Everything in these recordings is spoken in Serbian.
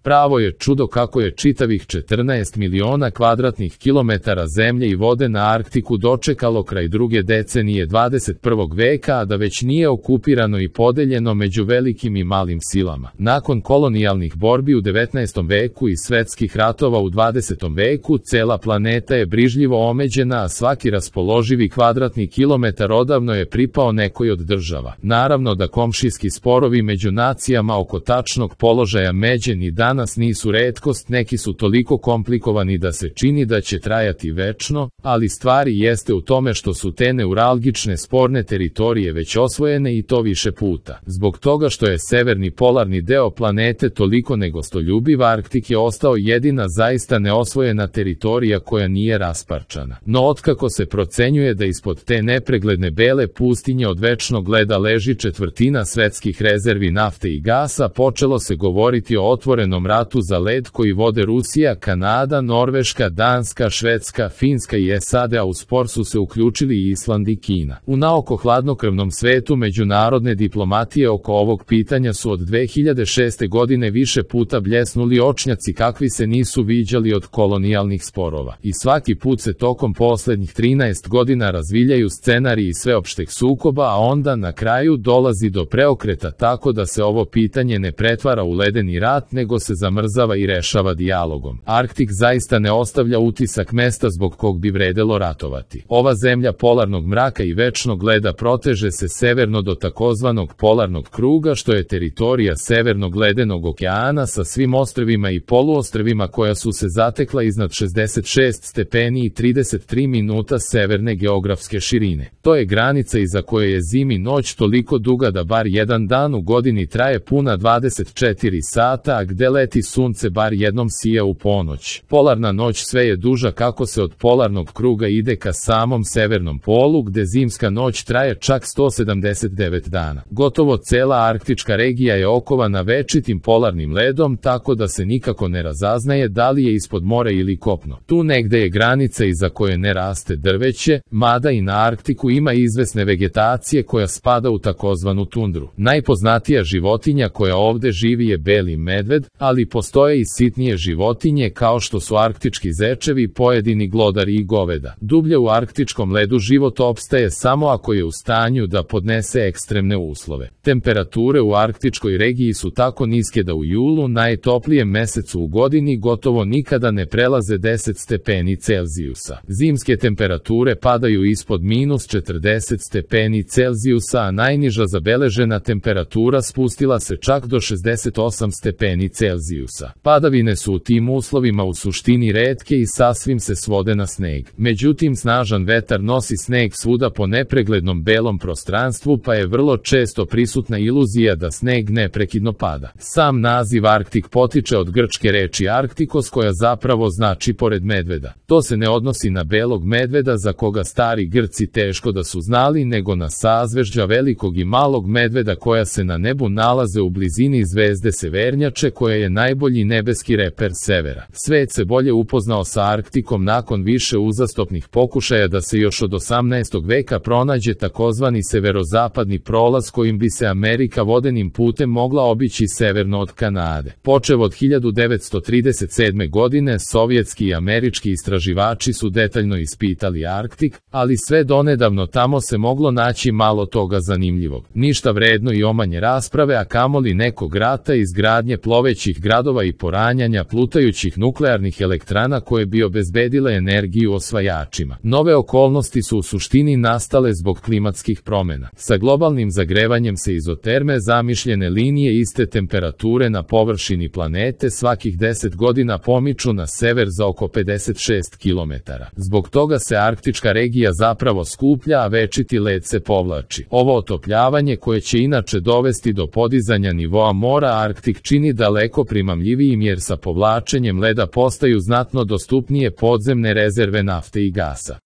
Pravo je čudo kako je čitavih 14 miliona kvadratnih kilometara zemlje i vode na Arktiku dočekalo kraj druge decenije 21. veka, a da već nije okupirano i podeljeno među velikim i malim silama. Nakon kolonijalnih borbi u 19. veku i svetskih ratova u 20. veku, cela planeta je brižljivo omeđena, a svaki raspoloživi kvadratni kilometar odavno je pripao nekoj od država. Naravno da komšijski sporovi među nacijama oko tačnog položaja međe ni danas nisu retkost, neki su toliko komplikovani da se čini da će trajati večno, ali stvari jeste u tome što su te neuralgične sporne teritorije već osvojene i to više puta. Zbog toga što je severni polarni deo planete toliko negostoljubiv, Arktik je ostao jedina zaista neosvojena teritorija koja nije rasparčana. No otkako se procenjuje da ispod te nepregledne bele pustinje od večnog leda leži četvrtina svetskih rezervi nafte i gasa, počelo se govoriti o otvorenom ratu za led koji vode Rusija, Kanada, Norveška, Danska, Švedska, Finska i SAD, a u spor su se uključili i Island i Kina. U naoko hladnokrvnom svetu međunarodne diplomatije oko ovog pitanja su od 2006. godine više puta bljesnuli očnjaci kakvi se nisu viđali od kolonijalnih sporova. I svaki put se tokom poslednjih 13 godina razviljaju scenariji sveopšteg sukoba, a onda na kraju dolazi do preokreta tako da se ovo pitanje ne pretvara u ledeni rat, nego se zamrzava i rešava dijalogom. Arktik zaista ne ostavlja utisak mesta zbog kog bi vredelo ratovati. Ova zemlja polarnog mraka i večnog leda proteže se severno do takozvanog polarnog kruga, što je teritorija severnog ledenog okeana sa svim ostrvima i poluostrvima koja su se zatekla iznad 66 stepeni i 33 minuta severne geografske širine. To je granica iza koje je zimi noć toliko duga da bar jedan dan u godini traje puna 24 sata, a gde leti sunce bar jednom sija u ponoć. Polarna noć sve je duža kako se od polarnog kruga ide ka samom severnom polu, gde zimska noć traje čak 179 dana. Gotovo cela arktička regija je okovana večitim polarnim ledom, tako da se nikako ne razaznaje da li je ispod mora ili kopno. Tu negde je granica iza koje ne raste drveće, mada i na Arktiku ima izvesne vegetacije koja spada u takozvanu tundru. Najpoznatija životinja koja ovde živi je beli medved, ali postoje i sitnije životinje kao što su arktički zečevi, pojedini glodari i goveda. Dublje u arktičkom ledu život opstaje samo ako je u stanju da podnese ekstremne uslove. Temperature u arktičkoj regiji su tako niske da u julu, najtoplijem mesecu u godini, gotovo nikada ne prelaze 10 stepeni Celzijusa. Zimske temperature padaju ispod minus 40 stepeni Celzijusa, a najniža zabeležena temperatura spustila se čak do 68 stepeni Celzijusa. Padavine su u tim uslovima u suštini retke i sasvim se svode na sneg. Međutim, snažan vetar nosi sneg svuda po nepreglednom belom prostranstvu, pa je vrlo često prisutna iluzija da sneg neprekidno pada. Sam naziv Arktik potiče od grčke reči Arktikos, koja zapravo znači pored medveda. To se ne odnosi na belog medveda za koga stari Grci teško da su znali, nego na sazvežđa velikog i malog medveda koja se na nebu nalaze u blizini zvezde Severnjače, koja je najbolji nebeski reper severa. Svet se bolje upoznao sa Arktikom nakon više uzastopnih pokušaja da se još od 18. veka pronađe takozvani severozapadni prolaz kojim bi se Amerika vodenim putem mogla obići severno od Kanade. Počev od 1937. godine, sovjetski i američki istraživači su detaljno ispitali Arktik, ali sve donedavno tamo se moglo naći malo toga zanimljivog. Ništa vredno i omanje rasprave, a kamoli nekog rata, izgradnje plovećih gradova i poranjanja plutajućih nuklearnih elektrana koje bi obezbedile energiju osvajačima. Nove okolnosti su u suštini nastale zbog klimatskih promena. Sa globalnim zagrevanjem se izoterme, zamišljene linije iste temperature na površini planete, svakih 10 godina pomiču na sever za oko 56 km. Zbog toga se arktička regija zapravo skuplja, a večiti led se povlači. Ovo otopljavanje, koje će inače dovesti do podizanja nivoa mora, Arktik čini daleko primamljivijim jer sa povlačenjem leda postaju znatno dostupnije podzemne rezerve nafte i gasa.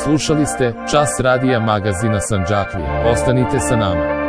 Slušali ste Čas radija magazina Sandžaklija. Ostanite sa nama.